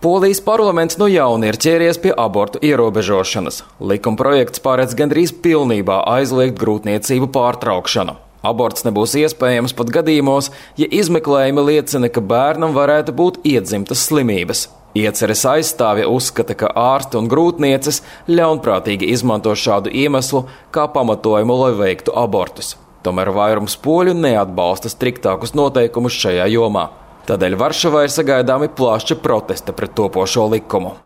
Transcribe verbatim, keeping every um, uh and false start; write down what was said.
Polijas parlaments no jauna ir ķēries pie abortu ierobežošanas. Likumprojekts paredz gandrīz pilnībā aizliegt grūtniecību pārtraukšanu. Aborts nebūs iespējams pat gadījumos, ja izmeklējumi liecina, ka bērnam varētu būt iedzimtas slimības. Ieceres aizstāvja uzskata, ka ārsti un grūtnieces ļaunprātīgi izmanto šādu iemeslu kā pamatojumu, lai veiktu abortus. Tomēr vairums poļu neatbalsta striktākus noteikumus šajā jomā. Tādēļ Varšavā ir sagaidāmi plaši protesti pret topošo likumu.